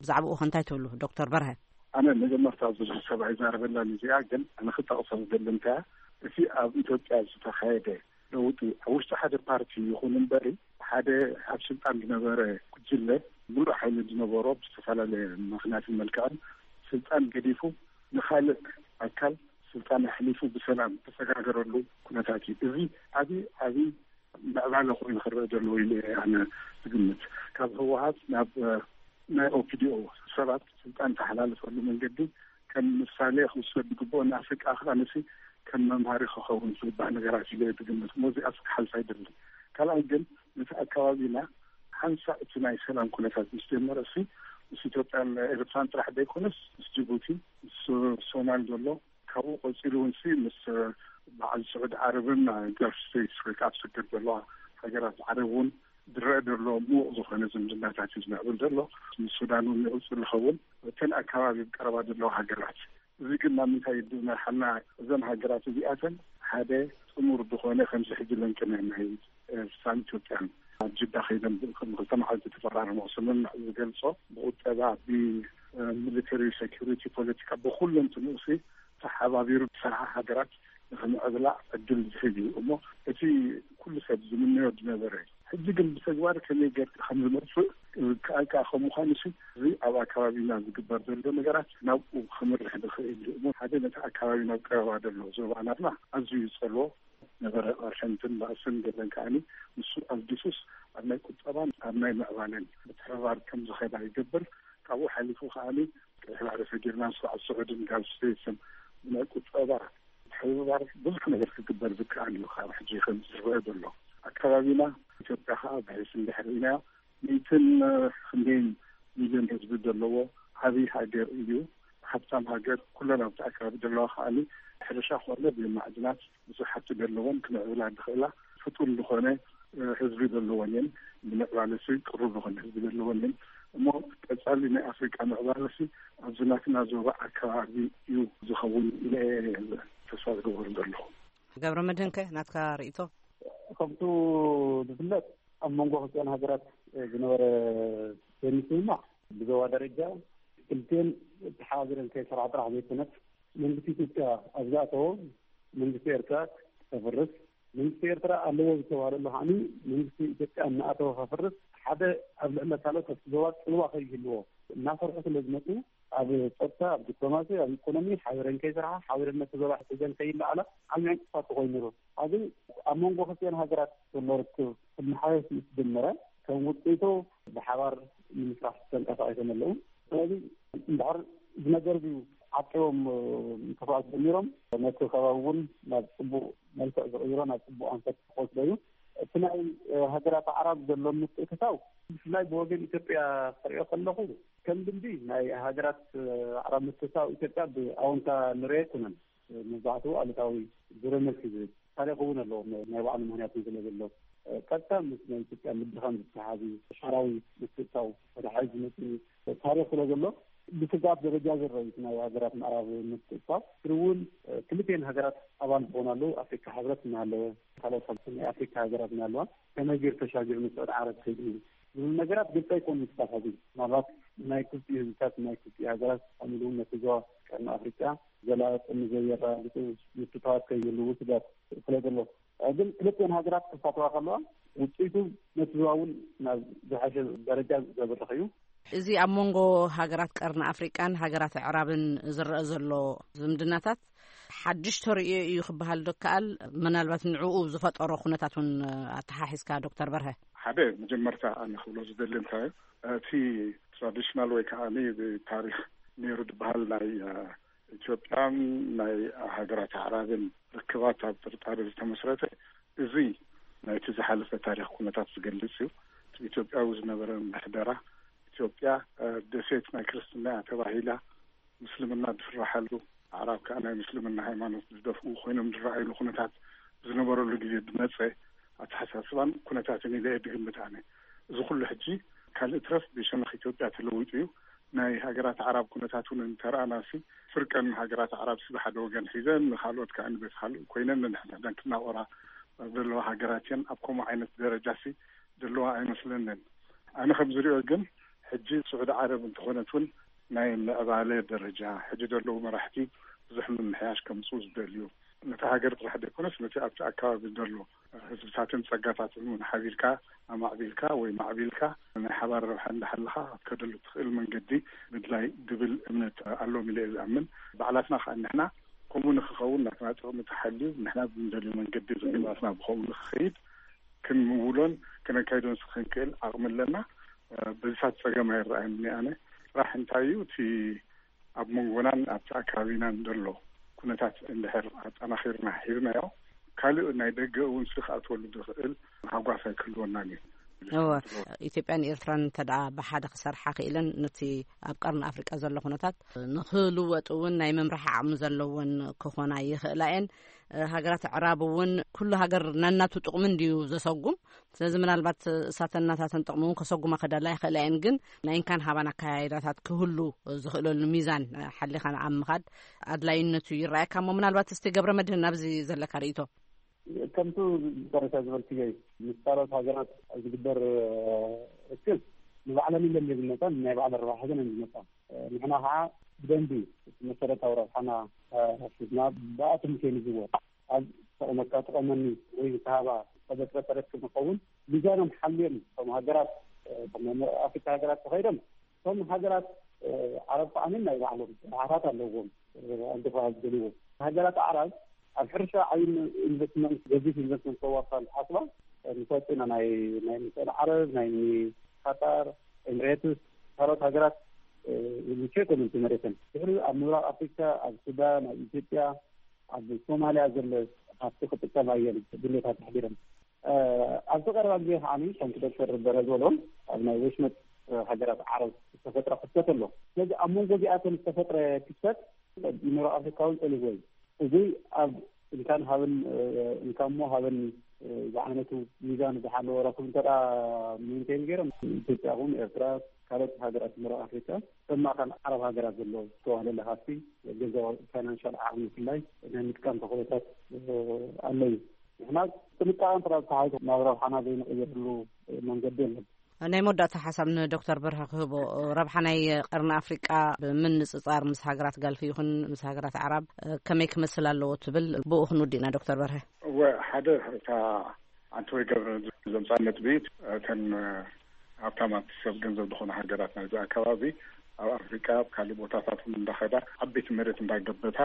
ብዛዕባኡ ከ እንታይ ትብሉ ዶክተር በርሀ? ኣነ መጀመርታ ብዙሕ ሰብ ኣይዛረበላን እዚኣ፣ ግን ኣነ ክጠቕሶ ዝደሊ እንታይ እቲ ኣብ ኢትዮጵያ ዝተኻየደ ለውጢ ኣብ ውሽጢ ሓደ ፓርቲ ይኹን እምበሪ ሓደ ኣብ ስልጣን ዝነበረ ጉጅለ ሙሉእ ሓይሊ ዝነበሮ ብዝተፈላለየ ምኽንያትን መልክዕን ስልጣን ገዲፉ ንኻልእ ኣካል ስልጣን ኣሕሊፉ ብሰላም ተሰጋገረሉ ኩነታት እዩ። እዚ ዓብዪ ዓብዪ ምዕባለ ኮይኑ ክረአ ዘለዎ ኢለ እየ ኣነ ዝግምት። ካብ ህወሓት ናብ፣ እ፣ ናይ ኦፒዲኦ ሰባት ስልጣን ተሓላልፈሉ መንገዲ ከም ምሳሌ ክውሰድ ዝግብኦ፣ ንኣፍሪቃ ከኣ ንሲ ከም መምሃሪ ክኸውን ዝግባእ ነገራት ኢለ እየ ዝግምት። እሞ እዚኣ ክሓልፍ ኣይደልን። ካልኣይ ግን፣ ነቲ ኣካባቢና ሓንሳእ እቲ ናይ ሰላም ኩነታት ምስ ጀመረ ሲ፣ ምስ ኢትዮጵያን ኤርትራን ጥራሕ ዘይኮነስ፣ ምስ ጅቡቲ፣ ምስ ሶማል ዘሎ፣ ካብኡ ቀጺሉ እውን ሲ፣ ምስ በዓል ስዑድ ዓረብን ጋልፍ ስቴትስ ወይ ከዓ ኣብ ሰገር ዘለዋ ሃገራት ዓረብ እውን ዝረአ ዘሎ ምዉቕ ዝኾነ ዝምድናታት እዩ ዝምዕብል ዘሎ። ምስ ሱዳን እውን ይቕጽል ዝኸውን፣ እተን ኣካባቢ ቀረባ ዘለዋ ሃገራት። እዚ ግን ናብ ምንታይ ይመርሓና? እዘን ሃገራት እዚኣተን ሓደ ጥሙር ዝኾነ፣ ከምዚ ሕጂ ለንቅነ ናይ ኤርትራን ኢትዮጵያን ኣብ ጅዳ ከይደን ከም ክልተ መዓልቲ ተፈራረሞ ስምምዕ ዝገልጾ፣ ብቁጠባ፣ ብሚሊተሪ፣ ሴኩሪቲ፣ ፖለቲካ፣ ብኩለንትንኡ ሲ ተሓባቢሩ ዝሰርሓ ሃገራት ንክምዕብላ ዕድል ዝህብ እዩ። እሞ እቲ ኩሉ ሰብ ዝምነዮ ዝነበረ፣ ሕጂ ግን ብተግባር ከመይ ጌርካ ከም ዝመጽእ ከኣልካ ከም ምዃኑ ሲ፣ እዚ ኣብ ኣካባቢና ዝግበር ዘሎ ነገራት ናብኡ ክምርሕ ዝኽእል እዩ። እሞ ሓደ ነቲ ኣካባቢ ናብ ቀረባ ዘሎ ዞባ ናትና ኣዝዩ ይጸልዎ ነበረ። ቅርሕንትን ባእስን ገለን ከኣኒ ንሱ ኣልጊሱስ ኣብ ናይ ቁጠባን ኣብ ናይ ምዕባለን ምትሕብባር ከም ዝኸዳ ይገብር። ካብኡ ሓሊፉ ከኣኒ ቀይሕ ባሕሪ ሰጊርና ንሱ ኣብ ስዑድን ጋልፍ ስቴትስን ብናይ ቁጠባ ምትሕብባር ብዙሕ ነገር ክግበር ዝከኣል እዩ። ካብ ሕጂ ከም ዝረአ ዘሎ ኣካባቢና ኢትዮጵያ ከኣ ብሒስ እንድሕር ኢናዮ፣ ሚእትን ክንደይን ሚልዮን ህዝቢ ዘለዎ ዓብዪ ሃገር እዩ። ሃብታም ሃገር፣ ኩለን ኣብቲ ኣካባቢ ዘለዋ ከኣኒ ሕርሻ ኮነ ብማዕድናት ብዙሕ ሃብቲ ዘለወን ክምዕብላ ዝኽእላ ፍጡን ዝኾነ ህዝቢ ዘለወን እየን። ንምዕባለ ሲ ቅሩብ ዝኾነ ህዝቢ ዘለወን እየን። እሞ ቀጻሊ ናይ ኣፍሪቃ ምዕባለ ሲ ኣብዚ ናትና ዞባ ኣካባቢ እዩ ዝኸውን ኢለ እየ ተስፋ ዝገብረሉ ዘለኹ። ገብረ መድህንከ ናትካ ርእይቶ? ከምቱ ዝፍለጥ ኣብ መንጎ ክልቲኣን ሃገራት ዝነበረ ዘይምስምማዕ ብዞባ ደረጃ ክልቲአን ተሓባቢረን ከይሰርሓ ጥራሕ ዘይኮነስ መንግስቲ ኢትዮጵያ ኣብ ዝኣተዎ መንግስቲ ኤርትራ ከፍርስ፣ መንግስቲ ኤርትራ ኣለዎ ዝተባህለሉ ከዓኒ መንግስቲ ኢትዮጵያ እናኣተወ ከፍርስ፣ ሓደ ኣብ ልዕሊ ካልኦት ኣብቲ ዞባ ጽልዋ ከይህልዎ እናሰርሑ ስለ ዝመጹ ኣብ ጸጥታ፣ ኣብ ዲፕሎማሲ፣ ኣብ ኢኮኖሚ ሓቢረን ከይሰርሓ፣ ሓቢረን ነቲ ዞባ ሒዘን ከይለዓላ ዓብዪ ዕንቅፋት ኮይኑ ነይሩ። ኣብዚ ኣብ መንጎ ክልቲአን ሃገራት ዘሎ ርክብ ክመሓየሽ ምስ ጀመረ፣ ከም ውፅኢቱ ብሓባር ንምስራሕ ተንቀሳቒሶም ኣለዉ። ስለዚ እንድሕር እዚ ነገር እዚዩ ዓቂቦም ምጥፋእ ጀሚሮም፣ ነቲ ከባቢ እውን ናብ ፅቡቕ መልክዕ ዝቕይሮ፣ ናብ ፅቡቕ ኣንፈት ክወስዶ እዩ። እቲ ናይ ሃገራት ኣዕራብ ዘሎ ምትእትታው ብፍላይ ብወገን ኢትዮጵያ ክሪኦ ከለኹ ከም ልምዲ ናይ ሃገራት ኣዕራብ ምትእትታው ኢትዮጵያ ብኣወንታ ንሪኦ ኣይኮነን። መብዛሕትኡ ኣሉታዊ ዙረ መልሲ ዝህብ ታሪክ እውን ኣለዎ። ናይ ባዕሉ ምክንያት ስለ ዘሎ ቀጥታ ምስ ናይ ኢትዮጵያ ምድኻም ዝተሓሓዝ እዩ። ሻዕራዊ ምትእትታው ወደ ሓይል ዝመፅእ ታሪክ ስለ ዘሎ ብስግኣት ደረጃ ዝረአ እዩ። ናይ ሃገራት ምዕራብ ምትእትታው ግን እውን ክልቲኤን ሃገራት ኣባል ዝኾናሉ ኣፍሪካ ሕብረት እናሃለወ ካልኦት ናይ ኣፍሪካ ሃገራት እናሃለዋ ከመይ ገይሩ ተሻጊሩ ንስዑድ ዓረብ ከይዱ ዝብል ነገራት ግልፂ ኣይኮኑን ክሳብ ሕዚ። ምናልባት ናይ ክልቲኡ ህዝብታት ናይ ክልቲኡ ሃገራት ከምኡ እውን ነቲ ዞባ ቀርኒ ኣፍሪቃ ዘላቒ ጥቕሚ ዘየረጋግፁ ምትእትታዋት ከይህልዉ ስጋት ስለ ዘሎ ግን ክልቲኤን ሃገራት ክሳተፋ ከለዋ ውፅኢቱ ነቲ ዞባ እውን ናብ ዝሓሸ ደረጃ ዘብርኽ እዩ። እዚ ኣብ መንጎ ሃገራት ቀርኒ ኣፍሪቃን ሃገራት ኣዕራብን ዝረአ ዘሎ ዝምድናታት ሓድሽ ተርእዮ እዩ ክበሃል ዶ ይከኣል? ምናልባት ንዕኡ ዝፈጠሮ ኩነታት እውን ኣተሓሒዝካ ዶክተር በርሀ። ሓደ መጀመርታ ኣነ ክብሎ ዝደሊ እንታይ እቲ ትራዲሽናል ወይ ከዓ ብታሪክ ነይሩ ዝበሃል ናይ ኢትዮጵያን ናይ ሃገራት ኣዕራብን ርክባት ኣብ ጥርጣሬ ዝተመስረተ እዚ ናይቲ ዝሓለፈ ታሪክ ኩነታት ዝገልጽ እዩ። ኢትዮጵያዊ ዝነበረ ምሕደራ ኢትዮጵያ ደሴት ናይ ክርስትና እያ ተባሂላ፣ ምስልምና ዝፍራሓሉ፣ ኣዕራብ ከዓ ናይ ምስልምና ሃይማኖት ዝደፍኡ ኮይኖም ዝረኣይሉ ኩነታት ዝነበረሉ ግዜ ዝመፀ ኣተሓሳስባን ኩነታትን ኢለ እየ ዝግምት ኣነ። እዚ ኩሉ ሕጂ ካልእ ትረፍ ብሸነኽ ኢትዮጵያ ተለዊጡ እዩ። ናይ ሃገራት ኣዕራብ ኩነታት እውን እንተረኣናሲ ፍርቀን ሃገራት ኣዕራብ ሲ ብሓደ ወገን ሒዘን ንካልኦት ከዓ ንቤት ካልእ ኮይነን ነንሕድሕደን ክናቆራ ዘለዋ ሃገራት እየን። ኣብ ከምኡ ዓይነት ደረጃ ሲ ዘለዋ ኣይመስለንን። ኣነ ከም ዝሪኦ ግን ሕጂ ስዑዲ ዓረብ እንተኾነት እውን ናይ ምዕባለ ደረጃ ሕጂ ዘለዉ መራሕቲ ብዙሕ ምምሕያሽ ከምፅኡ ዝደልዩ ነቲ ሃገር ጥራሕ ዘይኮነስ ነቲ ኣብቲ ኣካባቢ ዘሎ ህዝብታትን ፀጋታትን እውን ሓቢርካ ኣማዕቢልካ ወይ ማዕቢልካ ናይ ሓባር ረብሓ እንዳሓለኻ ክትከደሉ ትኽእል መንገዲ ምድላይ ዝብል እምነት ኣሎም ኢለ እየ ዝኣምን። ባዕላትና ከዓ ንሕና ከምኡ ንክኸውን ናትና ጥቕሚ ተሓልዩ ንሕና ብንደልዩ መንገዲ ዝግባትና ብኸምኡ ንክኸይድ ክንምውሎን ክነካይዶን ክንክእል ዓቕሚ ኣለና። በዚታት ፀገም ኣይረኣየኒ ኣነ። ስራሕ እንታይ እዩ እቲ ኣብ መንጎናን ኣብቲ ኣከባቢናን ዘሎ ኩነታት እንድሕር ኣጠናኺርና ሂብናዮ፣ ካልእ ናይ ደገ እውን ስኽ ኣትወሉ ዝኽእል ሃጓፍ ኣይክህልወናን እዩ። እወ፣ ኢትዮጵያን ኤርትራን እንተ ደኣ ብሓደ ክሰርሓ ክኢለን፣ ነቲ ኣብ ቀርኒ ኣፍሪቃ ዘሎ ኩነታት ንክልወጥ እውን ናይ ምምራሕ ዓቕሚ ዘለወን ክኾና ይኽእላ እየን። ሃገራት ኣዕራብ እውን፣ ኩሉ ሃገር ነናቱ ጥቕሚ እንድዩ ዘሰጉም። ስለዚ ምናልባት እሳተን ናታተን ጥቕሚ እውን ከሰጉማ ክደላ ይኽእላ እየን። ግን ናይ እንካን ሃባን ኣካያይዳታት ክህሉ ዝኽእለሉ ሚዛን ሓሊኻ ኣብ ምኻድ ኣድላይነቱ ይረኣየካ። እሞ ምናልባት እስቲ ገብረ መድህን፣ ኣብዚ ዘለካ ርእይቶ። ከምቱ መጨረሻ ዝበልክዮ እዩ። ምስ ካልኦት ሃገራት ዝግበር ርክብ ንባዕለን ኢለን ዝመፃን ናይ ባዕለን ረብሓ ሒዘን ዝመፃ። ንሕና ከዓ ብደንቢ መሰረታዊ ረብሓና ሒዝና ብኣቶም ከይንዝወር፣ ኣብ ተቐመካ ተቐመኒ ወይ ዝተሃባ ተበጥረ ተረክብ ንኸውን። ሚዛኖም ሓልዮም እቶም ሃገራት፣ ከም ናይ ምዕራብ ኣፍሪካ ሃገራት ተኸይዶም፣ እቶም ሃገራት ዓረብ ከዓ ናይ ባዕሎም ረብሓታት ኣለዎም። ኣንዲኻ ዝደልዎ ሃገራት ዓረብ ኣብ ሕርሻ ዓብዪ ኢንቨስትመንት፣ ገዚፍ ኢንቨስትመንት ከዋፋል ሓስባ ንፈልጥ ኢና። ናይ ናይ ምሳል ዓረብ፣ ናይ ቃጣር፣ ኤምሬትስ፣ ካልኦት ሃገራት ምቸ ኮምንቲ መሬተን ድሕሪ ኣብ ምብራቕ ኣፍሪካ፣ ኣብ ሱዳን፣ ኣብ ኢትዮጵያ፣ ኣብ ሶማልያ ዘሎ ሃፍቲ ክጥቀማ እየን ድሌታት ኣሕዲረን። ኣብዚ ቀረባ ግዜ ከዓ ከምቲ ዶክተር በረ ዝበሎ ኣብ ናይ ወሽመጥ ሃገራት ዓረብ ዝተፈጥረ ክፍተት ኣሎ። ስለዚ ኣብ መንጎ እዚኣተን ዝተፈጥረ ክፍተት ምብራቕ ኣፍሪካ እውን ፀሊዎ እዩ። እዚ ኣብ እንካን ሃብን እንካ እሞ ሃበኒ ዝዓይነቱ ሚዛን ዝሓለወ ረክብ እንተ ሜንቴን ገይሮም፣ ኢትዮጵያ እውን ኤርትራ፣ ካልኦት ሃገራት ምብራቕ ኣፍሪካ፣ ከም ማእከል ዓረብ ሃገራት ዘሎ ዝተዋህለለ ሃፍቲ ገንዘባዊ ፋይናንሻል ዓቕሚ ብፍላይ ናይ ምጥቃም ተኽእሎታት ኣሎ እዩ። ንሕና ጥንቃቐ እንተ ተሓይዞ ናብ ረብሓና ዘይንቕይርሉ መንገዲ የለን። ናይ መወዳእታ ሓሳብ ንዶክተር በርሀ ክህቦ፣ ረብሓ ናይ ቀርኒ ኣፍሪቃ ብምንጽጻር ምስ ሃገራት ጋልፊ ይኹን ምስ ሃገራት ዓራብ ከመይ ክመስል ኣለዎ ትብል? ብኡ ክንውዲእና ዶክተር በርሀ። እወ፣ ሓደ እታ ኣንተ ወይ ገብረ ዘምጻ ነጥቢ፣ እተን ሃብታማት ሰብ ገንዘብ ዝኾነ ሃገራት ናይዚ ኣከባቢ ኣብ ኣፍሪቃ ኣብ ካልእ ቦታታት እውን እንዳኸዳ ዓበይቲ መሬት እንዳገበታ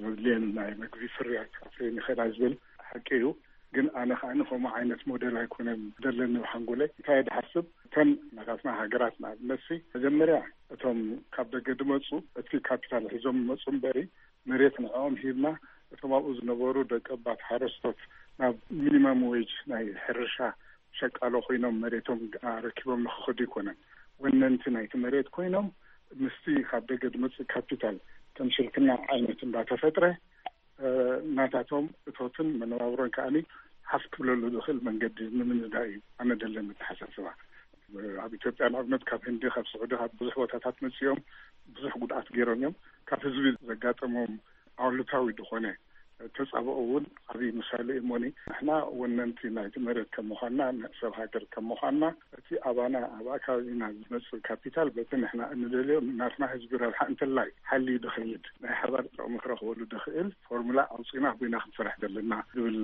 ዘድልየን ናይ መግቢ ፍርያት ኣፍርየን ይኸዳ ዝብል ሓቂ እዩ። ግን ኣነ ከዓ ከምኡ ዓይነት ሞዴል ኣይኮነን ዘለኒ ብሓንጎለይ። እንታይ እየ ዝሓስብ? እተን ናታትና ሃገራት ንኣብነት ሲ መጀመርያ እቶም ካብ ደገ ድመፁ እቲ ካፒታል ሒዞም ይመፁ እምበሪ መሬት ንዕኦም ሂብና እቶም ኣብኡ ዝነበሩ ደቂ ኣባት ሓረስቶት ናብ ሚኒመም ዌጅ ናይ ሕርሻ ሸቃሎ ኮይኖም መሬቶም ኣረኪቦም ንክኸዱ ኣይኮነን። ወነንቲ ናይቲ መሬት ኮይኖም ምስቲ ካብ ደገ ድመፅእ ካፒታል ከም ሽርክና ዓይነት እንዳተፈጥረ ናታቶም እቶትን መነባብሮን ከዓኒ ሓፍ ክብለሉ ዝኽእል መንገዲ ንምንዳእ እዩ ኣነ ደለኒ ኣተሓሳስባ። ኣብ ኢትዮጵያ ንኣብነት ካብ ህንዲ፣ ካብ ስዑዲ፣ ካብ ብዙሕ ቦታታት መፅኦም ብዙሕ ጉድኣት ገይሮም እዮም። ካብ ህዝቢ ዘጋጠሞም ኣሉታዊ ዝኾነ ተጻብኦ እውን ዓብዪ ምሳሌ እዩ። እሞኒ ንሕና ወነንቲ ናይቲ መሬት ከም ምዃንና፣ ንሰብ ሃገር ከም ምዃንና፣ እቲ ኣባና ኣብ ኣካባቢና ዝመጽእ ካፒታል በቲ ንሕና እንደልዮ ናትና ህዝቢ ረብሓ እንተላይ ሓልዩ ድኸይድ ናይ ሓባር ጥቕሚ ክረኽበሉ ድኽእል ፎርሙላ ኣውጺና ኣቦይና ክንሰርሕ ዘለና ዝብል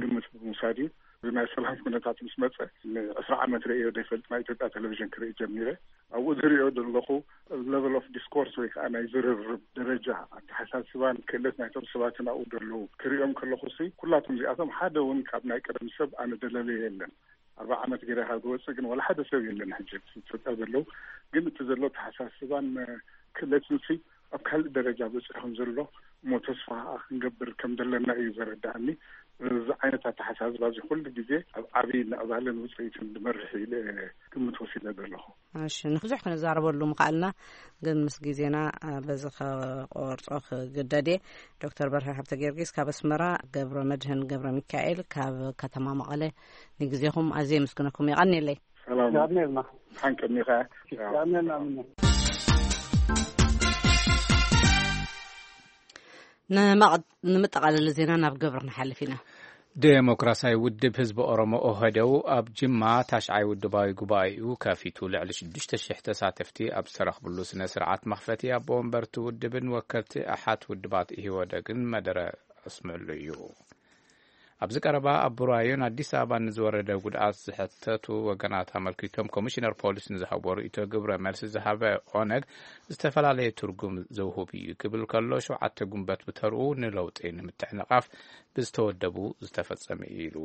ግምት ብምውሳድ እዩ። እዚ ናይ ሰላም ኩነታት ምስ መጸ ንዕስራ ዓመት ርእዮ ዘይፈልጥ ናይ ኢትዮጵያ ቴሌቪዥን ክርኢ ጀሚረ። ኣብኡ ዝርእዮ ዘለኹ ሌቨል ኦፍ ዲስኮርስ ወይ ከዓ ናይ ዝርርብ ደረጃ ኣተሓሳስባን ክእለት ናይቶም ሰባትን ኣብኡ ዘለዉ ክርእዮም ከለኹ ሲ ኩላቶም እዚኣቶም ሓደ እውን ካብ ናይ ቀደም ሰብ ኣነ ደለለዮ የለን። ኣርባዓ ዓመት ገይረ ካብ ዝወፅእ ግን ዋላ ሓደ ሰብ የለን። ሕጂ ኢትዮጵያ ዘለዉ ግን እቲ ዘሎ ኣተሓሳስባን ክእለትን ሲ ኣብ ካልእ ደረጃ በፂሑ ከም ዘሎ እሞ ተስፋ ክንገብር ከም ዘለና እዩ ዘረዳእኒ። እዚ ዓይነት ኣተሓሳስባ እዚ ኩሉ ግዜ ኣብ ዓብዪ ምዕባለን ውፅኢትን ዝመርሕ ኢለ ግምት ወሲደ ዘለኹ። እሺ፣ ንብዙሕ ክንዛረበሉ ምኽኣልና፣ ግን ምስ ግዜና በዚ ከቆርጾ ክግደድ እየ። ዶክተር በርሀ ሃብተ ጊዮርጊስ ካብ ኣስመራ፣ ገብረ መድህን ገብረ ሚካኤል ካብ ከተማ መቐለ፣ ንግዜኹም ኣዝየ የመስግነኩም። የቐንየለይ። ሰላም። የቐንየልና። ሓንቀኒኻ። የቐንየልና። ንምጠቓለሊ ዜና ናብ ገብረ ንሓልፍ ኢና። ዴሞክራሲያዊ ውድብ ህዝቢ ኦሮሞ፣ ኦህዴው፣ ኣብ ጅማ ታሽዓይ ውድባዊ ጉባኤኡ ከፊቱ ልዕሊ ሽዱሽተ ሽሕ ተሳተፍቲ ኣብ ዝተረኽብሉ ስነ ስርዓት መኽፈቲ ኣቦ ወንበርቲ ውድብን ወከልቲ ኣሓት ውድባት ኢህወደግን መደረ ኣስምዕሉ እዩ። ኣብዚ ቀረባ ኣብ ቡራዩን ኣዲስ ኣበባን ንዝወረደ ጉድኣት ዝሕተቱ ወገናት ኣመልኪቶም ኮሚሽነር ፖሊስ ንዝሃቦ ርእይቶ ግብረ መልሲ ዝሃበ ኦነግ ዝተፈላለየ ትርጉም ዘውህብ እዩ ክብል ከሎ፣ ሸውዓተ ጉንበት ብተርኡ ንለውጢ ንምትሕንቓፍ ብዝተወደቡ ዝተፈጸመ እዩ ኢሉ።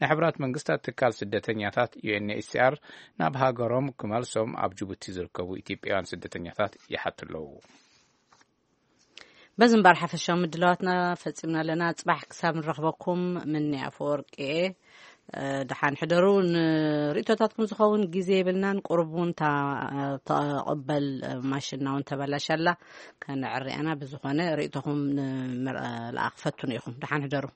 ናይ ሕቡራት መንግስታት ትካል ስደተኛታት ዩ ኤን ኤች ሲ ኣር ናብ ሃገሮም ክመልሶም ኣብ ጅቡቲ ዝርከቡ ኢትዮጵያውያን ስደተኛታት ይሓቱ ኣለዉ። በዚ እምበር ሓፈሻዊ ምድላዋትና ፈጺምና ኣለና። ጽባሕ ክሳብ ንረኽበኩም ምኒ ኣፈወርቂ እየ። ደሓን ሕደሩ። ንርእቶታትኩም ዝኸውን ግዜ የብልናን። ቁሩብ እውን እታ ተቐበል ማሽንና እውን ተበላሻላ። ከነዕርያና ብዝኾነ ርእቶኹም ንምልኣኽ ፈትኑ ኢኹም። ደሓን ሕደሩ።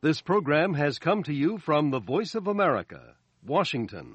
This program has come to you from the Voice of America, Washington.